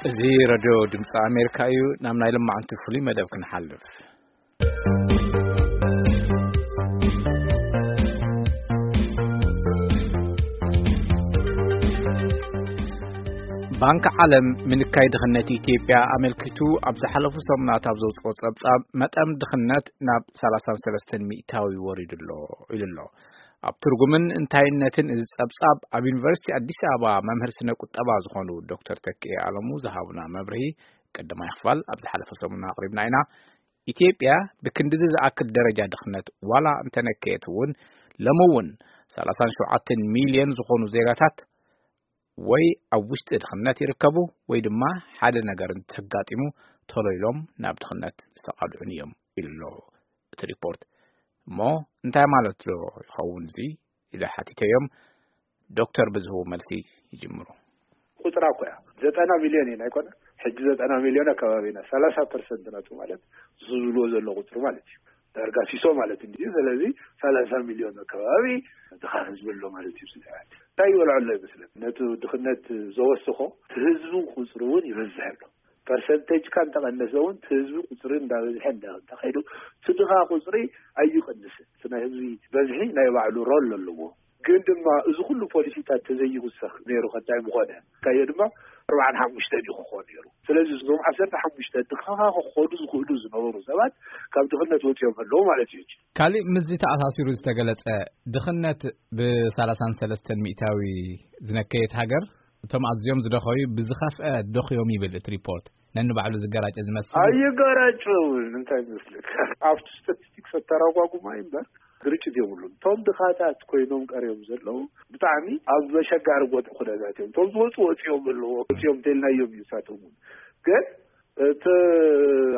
እዚ ረድዮ ድምፂ ኣሜሪካ እዩ። ናብ ናይ ልማዓንቲ ፍሉይ መደብ ክንሓልፍ። ባንክ ዓለም ምንካይ ድኽነት ኢትዮጵያ ኣመልኪቱ ኣብ ዝሓለፉ ሰሙናት ኣብ ዘውፅኦ ፀብፃብ፣ መጠን ድኽነት ናብ ሰላሳን ሰለስተን ሚእታዊ ወሪዱ ኣሎ ኢሉ ኣሎ። ኣብ ትርጉምን እንታይነትን እዚ ጸብጻብ፣ ኣብ ዩኒቨርሲቲ ኣዲስ ኣበባ መምህር ስነ ቁጠባ ዝኾኑ ዶክተር ተክኤ ኣለሙ ዝሃቡና መብርሂ፣ ቀዳማይ ክፋል ኣብ ዝሓለፈ ሰሙን ኣቕሪብና ኢና። ኢትዮጵያ ብክንድዚ ዝኣክል ደረጃ ድኽነት ዋላ እንተነከየት እውን፣ ሎሚ እውን ሰላሳን ሸውዓተን ሚልዮን ዝኾኑ ዜጋታት ወይ ኣብ ውሽጢ ድኽነት ይርከቡ፣ ወይ ድማ ሓደ ነገር እንተጋጢሙ፣ ቶሎ ኢሎም ናብ ድኽነት ዝተቓልዑን እዮም ኢሉ ኣሎ እቲ ሪፖርት። እሞ እንታይ ማለት ዶ ይኸውን እዚ? ኢለ ሓቲተዮም። ዶክተር ብዝህቡ መልሲ ይጅምሩ። ቁጽራ እኮ እያ። ዘጠና ሚልዮን ኢና ኣይኮነ? ሕጂ ዘጠና ሚልዮን ኣከባቢ ኢና። ሰላሳ ፐርሰንት ናቱ ማለት፣ ዝብልዎ ዘሎ ቁጽሪ ማለት እዩ። ዳርጋ ሲሶ ማለት እንድዩ። ስለዚ ሰላሳ ሚልዮን ኣከባቢ ድኻ ህዝቢ ኣሎ ማለት እዩ። ስለ እንታይ ይበልዖ ኣሎ ይመስለኒ? ነቲ ድኽነት ዘወስኾ፣ እቲ ህዝቢ ቁጽሪ እውን ይበዝሕ ኣሎ። ፐርሰንቴጅካ እንተቐነሰ እውን፣ እቲ ህዝቢ ቁጽሪ እንዳበዝሐ እንዳ-፣ እንተኸይዱ፣ እቲ ድኻ ቁጽሪ ኣይቕንስን። እቲ ናይ ህዝቢ በዝሒ ናይ ባዕሉ ሮል ኣለዎ። ግን ድማ እዚ ኩሉ ፖሊሲታት ተዘይውሰኽ ነይሩ፣ ከታይ ምኾነ? ካዮ ድማ ኣርባዓን ሓሙሽተን እዩ ክኾን ነይሩ። ስለዚ እዞም ዓሰርተ ሓሙሽተ ድኻ ክኾኑ ዝኽእሉ ዝነበሩ ሰባት ካብ ድኽነት ወፂኦም ኣለዉ ማለት እዩ። ካሊእ ምስዚ ተኣሳሲሩ ዝተገለጸ፣ ድኽነት ብሰላሳን ሰለስተን ሚእታዊ ዝነከየት ሃገር፣ እቶም ኣዝዮም ዝደኸዩ ብዝኸፍአ ደኽዮም ይብል እቲ ሪፖርት። ነንባዕሉ ዝገራጨ ዝመስል። ኣይገራጨውን፣ እንታይ ይመስለካ? ኣብቲ ስታቲስቲክስ ኣተራጓጉማ እምበር ግርጭት የብሉን። እቶም ድኻታት ኮይኖም ቀርዮም ዘለዉ ብጣዕሚ ኣብ መሸጋሪ ቦታ ኩነታት እዮም። እቶም ዝወፁ ወፂኦም ኣለዎ፣ ወፂኦም እንተልናዮም እዩ ንሳቶም እውን። ግን እቲ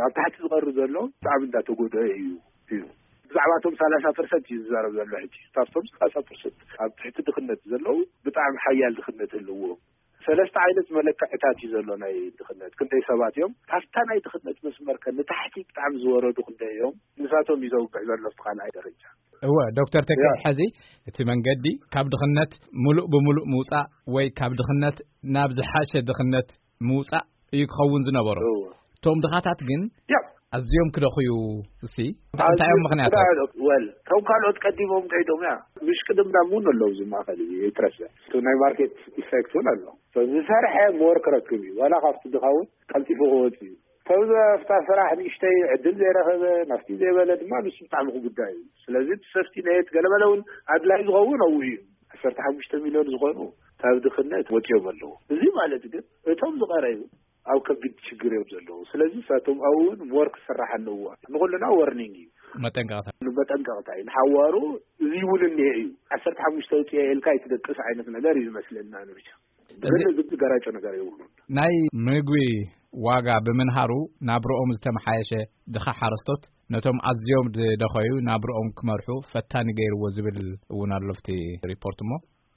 ኣብ ታሕቲ ዝቐርብ ዘሎ ብጣዕሚ እንዳተጎድአ እዩ፣ እዩ። ብዛዕባ እቶም ሰላሳ ፐርሰንት እዩ ዝዛረብ ዘሎ ሕጂ። ካብቶም ሰላሳ ፐርሰንት ኣብ ትሕቲ ድኽነት ዘለዉ ብጣዕሚ ሓያል ድኽነት ኣለዎም። ሰለስተ ዓይነት መለክዕታት እዩ ዘሎ ናይ ድኽነት። ክንደይ ሰባት እዮም ካብታ ናይ ድኽነት መስመር ከ ንታሕቲ ብጣዕሚ ዝወረዱ ክንደይ እዮም? ንሳቶም እዩ ዘውግዕ ዘሎ ኣብቲ ካልኣይ ደረጃ። እወ፣ ዶክተር ተክእ፣ ያ። ሕዚ እቲ መንገዲ ካብ ድኽነት ሙሉእ ብሙሉእ ምውፃእ ወይ ካብ ድኽነት ናብ ዝሓሸ ድኽነት ምውፃእ እዩ ክኸውን ዝነበሮ። እወ። እቶም ድኻታት ግን ያ። ኣዝዮም ክደኽዩ፣ እስቲ እንታይ እዮም ኣዝዮም ምኽንያታት? ክደኽዩ። ወል፣ እቶም ካልኦት ቀዲሞም ከይዶም እያ። ምሽቅድምዳም እውን ኣለዉ እዚ ማእኸል እዚ፣ ይትረፈ። እቲ ናይ ማርኬት ኢፌክት እውን ኣሎ። ሰብ ዝሰርሐ ሞር ክረክብ እዩ። ዋላ ካብቲ ድኻ እውን ቀልጢፉ ክወፅእ እዩ። ሰብ ዘፍታ ስራሕ ንእሽተይ ዕድል ዘይረኸበ፣ ናፍቲ ዘይበለ ድማ ንሱ ብጣዕሚ ክጉዳእ እዩ። ስለዚ እቲ ሰፍቲ ኔት ገለመለ እውን ኣድላይ ዝኸውን ኣብኡ እዩ። ዓሰርተ ሓሙሽተ ሚልዮን ዝኾኑ ካብ ድኽነት ወፂኦም ኣለዉ። እዚ ማለት ግን እቶም ዝቐረዩ ኣብ ከቢድ ችግር እዮም ዘለዉ። ስለዚ ንሳቶም ኣብኡ እውን ሞር ክስራሕ ኣለዎ። ንኹልና ወርኒንግ እዩ። መጠንቀቕታ። መጠንቀቕታ እዩ። ንሓዋሩ እዚ እውን እኒሄ እዩ። ዓሰርተ ሓሙሽተ ኣውፅኤ ኢልካ ኣይትደቅስ ዓይነት ነገር እዩ ዝመስለና ንብቻ። ግን እዚ እዚ ገራጮ ነገር የብሉን። ናይ ምግቢ ዋጋ ብምንሃሩ ናብርኦም ዝተመሓየሸ ድኻ ሓረስቶት ነቶም ኣዝዮም ዝደኸዩ ናብርኦም ክመርሑ ፈታኒ ገይርዎ ዝብል እውን ኣሎ ኣብቲ ሪፖርት። እሞ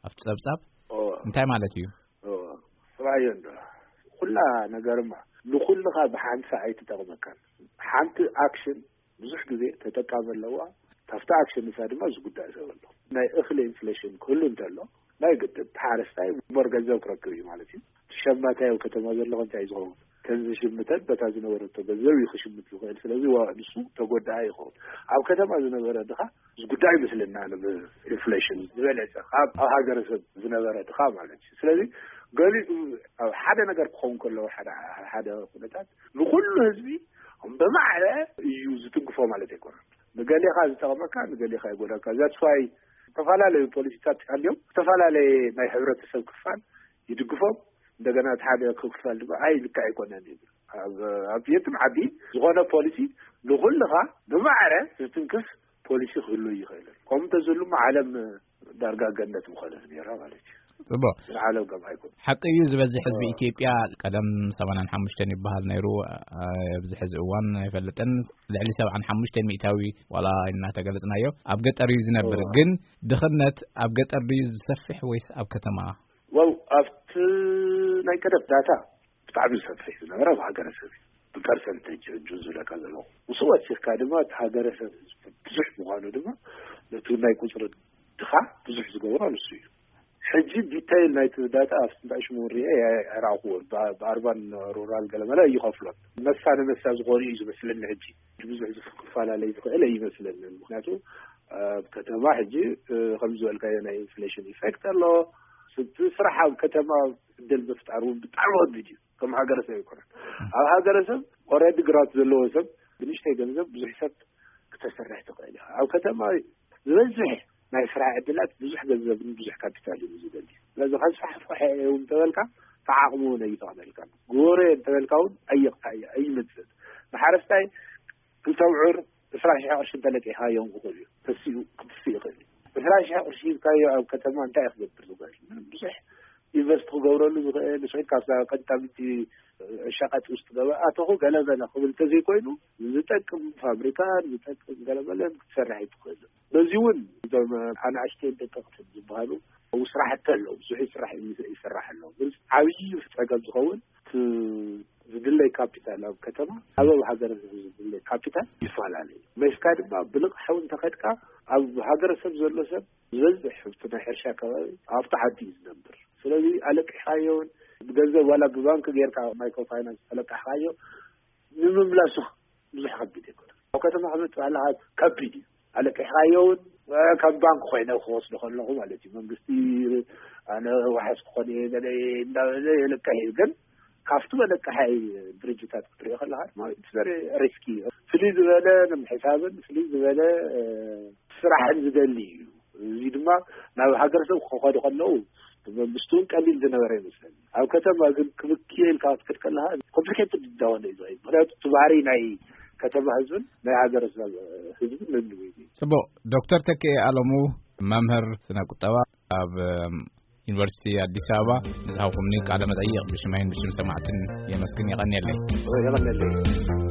ኣብቲ ጸብጻብ እወ። እንታይ ማለት እዩ? እወ። ጥራይ እንዶ ኩላ ነገርማ ንኹልኻ ብሓንሳ ኣይትጠቕመካን። ሓንቲ ኣክሽን ብዙሕ ግዜ ተጠቃሚ ኣለዋ። ካብቲ ኣክሽን ንሳ ድማ ዝጉዳእ ሰብ ኣሎ። ናይ እኽሊ ኢንፍሌሽን ክህሉ እንተሎ፣ ናይ ግድን ሓረስታይ ሞር ገንዘብ ክረክብ እዩ ማለት እዩ። እቲ ሸማታይ ኣብ ከተማ ዘሎ እንታይ እዩ ዝኸውን? ከዚ ዝሽምተን በታ ዝነበረቶ ገንዘብ እዩ ክሽምት ዝኽእል። ስለዚ ዋ-፣ ንሱ ተጎዳኢ ይኸውን። ኣብ ከተማ ዝነበረ ድኻ ዝጉዳእ ይመስለና፣ ኣብ ኢንፍሌሽን ዝበለጸ ካብ ኣብ ሃገረሰብ ዝነበረ ድኻ ማለት እዩ። ስለዚ ገሊኡ ኣብ ሓደ ነገር ክኸውን ከለዎ፣ ሓደ፣ ሓደ ኩነታት ንኹሉ ህዝቢ ብማዕረ እዩ ዝትንክፎ ማለት ኣይኮነን። ንገሌኻ ዝጠቕመካ፣ ንገሌኻ ይጎዳካ። That's why ዝተፈላለዩ ፖሊሲታት ኣልዮም ዝተፈላለየ ናይ ሕብረተሰብ ክፋል ይድግፎም፣ እንደገና እቲ ሓደ ክፋል ድማ ኣይ ልክዕ ኣይኮነን ይብል። ኣብ፣ ኣብ የትም ዓዲ ዝኾነ ፖሊሲ ንኹልኻ ብማዕረ ዝትንክፍ ፖሊሲ ክህሉ ይኽእል። ከምኡ እንተዝህሉ ዓለም ዳርጋ ገነት ምኾነት ነይራ ማለት እዩ። ጽቡቕ። ግን ዓለም ከም ኣይኮነ። ሓቂ እዩ፣ ዝበዝሕ ህዝቢ እዎ። ኢትዮጵያ ቀደም ሰማንያን ሓሙሽተን ይበሃል ነይሩ፣ ኣ-፣ ኣብዚ ሕዚ እዋን ኣይፈልጥን። ልዕሊ ሰብዓን ሓሙሽተን ሚእታዊ ዋላ እናተገለጽናዮ ኣብ ገጠር እዩ ዝነብር። እዎ። ግን ድኽነት ኣብ ገጠር ድዩ ዝሰፍሕ ወይስ ኣብ ከተማ? ዋው፣ ኣብቲ ናይ ቀደም ዳታ ብጣዕሚ ዝሰፍሕ እዩ ዝነበረ ኣብ ሃገረሰብ እዩ። ብፐርሰንቴጅ ሕጂ ዝብለካ ዘለኹ። ምስ ወሲኽካ ድማ እቲ ሃገረሰብ ህዝቢ ብዙሕ ምዃኑ ድማ ነቲ ናይ ቁጽሪ ድኻ ብዙሕ ዝገብሮ ንሱ እዩ። ሕጂ ዲታይል ናይቲ ዳታ ኣብ ስንታይ ሽሙ ሪኤ ኣይረኣኹዎን። ብኣርባን ሩራል ገለመለ ይኸፍሎን፣ መሳ ንመሳ ዝኾኑ እዩ ዝመስለኒ። ሕጂ ብዙሕ ዝፈላለ ይኽእል ኣይመስለንን። ምክንያቱ ኣብ ከተማ ሕጂ ከም ዝበልካዮ ናይ ኢንፍሌሽን ኢፌክት ኣሎ። ስራሓ ኣብ ከተማ ዕድል ምፍጣር እውን ብጣዕሚ ከቢድ እዩ። ከም ሃገረሰብ ኣይኮነን። ኣብ ሃገረሰብ ኦረዲ ግራት ዘለዎ ሰብ ብንእሽተይ ገንዘብ ብዙሕ ሰብ ክተሰርሕ ትኽእል ኢኻ። ኣብ ከተማ ዝበዝሕ ናይ ስራሕ ዕድላት ብዙሕ ገንዘብን ብዙሕ ካፒታል እዩ ዝደሊ። ስለዚ ከስፋሕፍሖ እየ እውን እንተበልካ ተዓቕሙ እውን ኣይፈቕደልካ። ግበሮ እየ እንተበልካ እውን ኣይቕታ እየ ኣይመፅእ። ንሓረስታይ ክልተ ብዑር ዕስራ ሺሕ ቅርሺ እንተለቂሕካዮም ክኽእል እዩ። ተሲኡ ክትስእ ይኽእል እዩ። ዕስራ ሺሕ ቅርሺ ሂብካዮ ኣብ ከተማ እንታይ ክገብር ዝኽእል? ብዙሕ ኢንቨስት ክገብረሉ ዝኽእል ንስዒድ ካብ ቀንጣብቲ ሸቐጥ ውስጥ ገበኣተኹ ገለመለ ክብል እንተዘይኮይኑ ዝጠቅም ፋብሪካን ዝጠቅም ገለመለን ክትሰርሕ ኣይትኽእል። በዚ እውን እዞም ኣናእሽተይን ደቀቕትን ዝበሃሉ ስራሕቲ ኣለዉ። ብዙሕ ስራሕ ይስራሕ ኣለዉ። ግን ዓብዪ ፀገም ዝኸውን ዝድለይ ካፒታል ኣብ ከተማ ኣብ ኣብ ሃገር ዝድለይ ካፒታል ይፈላለዩ። መሽካ ድማ ብልቕሓዊ እንተኸድካ ኣብ ሃገረሰብ ዘሎ ሰብ ዝበዝሕ ኣብቲ ናይ ሕርሻ ከባቢ ኣብቲ ዓዲ እዩ ዝነብር። ስለዚ ኣለቂሕካዮን ብገንዘብ ዋላ ብባንክ ጌርካ ማይክሮ ፋይናንስ ተለቃሕካዮ ንምምላሱ ብዙሕ ከቢድ ኣይኮነን። ኣብ ከተማ ክመፅእ ኣለካ ከቢድ እዩ። ኣለቂሕካዮ እውን ከም ባንክ ኮይነ ክወስዶ ከለኹ ማለት እዩ። መንግስቲ ኣነ ዋሕስ ክኾን እየ ገለ እንዳበለ የለቅሕ እዩ። ግን ካብቲ መለቀሓይ ድርጅታት ክትሪኦ ከለካ ድማ ሪስኪ ፍልይ ዝበለ ንምሕሳብን ፍልይ ዝበለ ስራሕን ዝደሊ እዩ። እዚ ድማ ናብ ሃገረሰብ ክኸዱ ከለዉ መንግስቲ እውን ቀሊል ዝነበረ ይመስለኒ። ኣብ ከተማ ግን ክብክየ ኢልካ ክትከድ ከለካ ኮምፕሊኬትድ እንዳሆነ እዩ ዝኸይድ። ምክንያቱ እቲ ባህሪ ናይ ከተማ ህዝብን ናይ ሃገረሰብ ህዝብን ነንብዩ እዩ። ጽቡቕ። ዶክተር ተክኤ ኣለሙ፣ መምህር ስነ ቁጠባ፣ ኣብ ዩኒቨርሲቲ ኣዲስ ኣበባ፣ ንዝሃብኩምኒ ቃለ መጠይቕ ብሽመይን ብሽም ሰማዕትን የመስግን። የቐንየለይ። የቐንየለይ።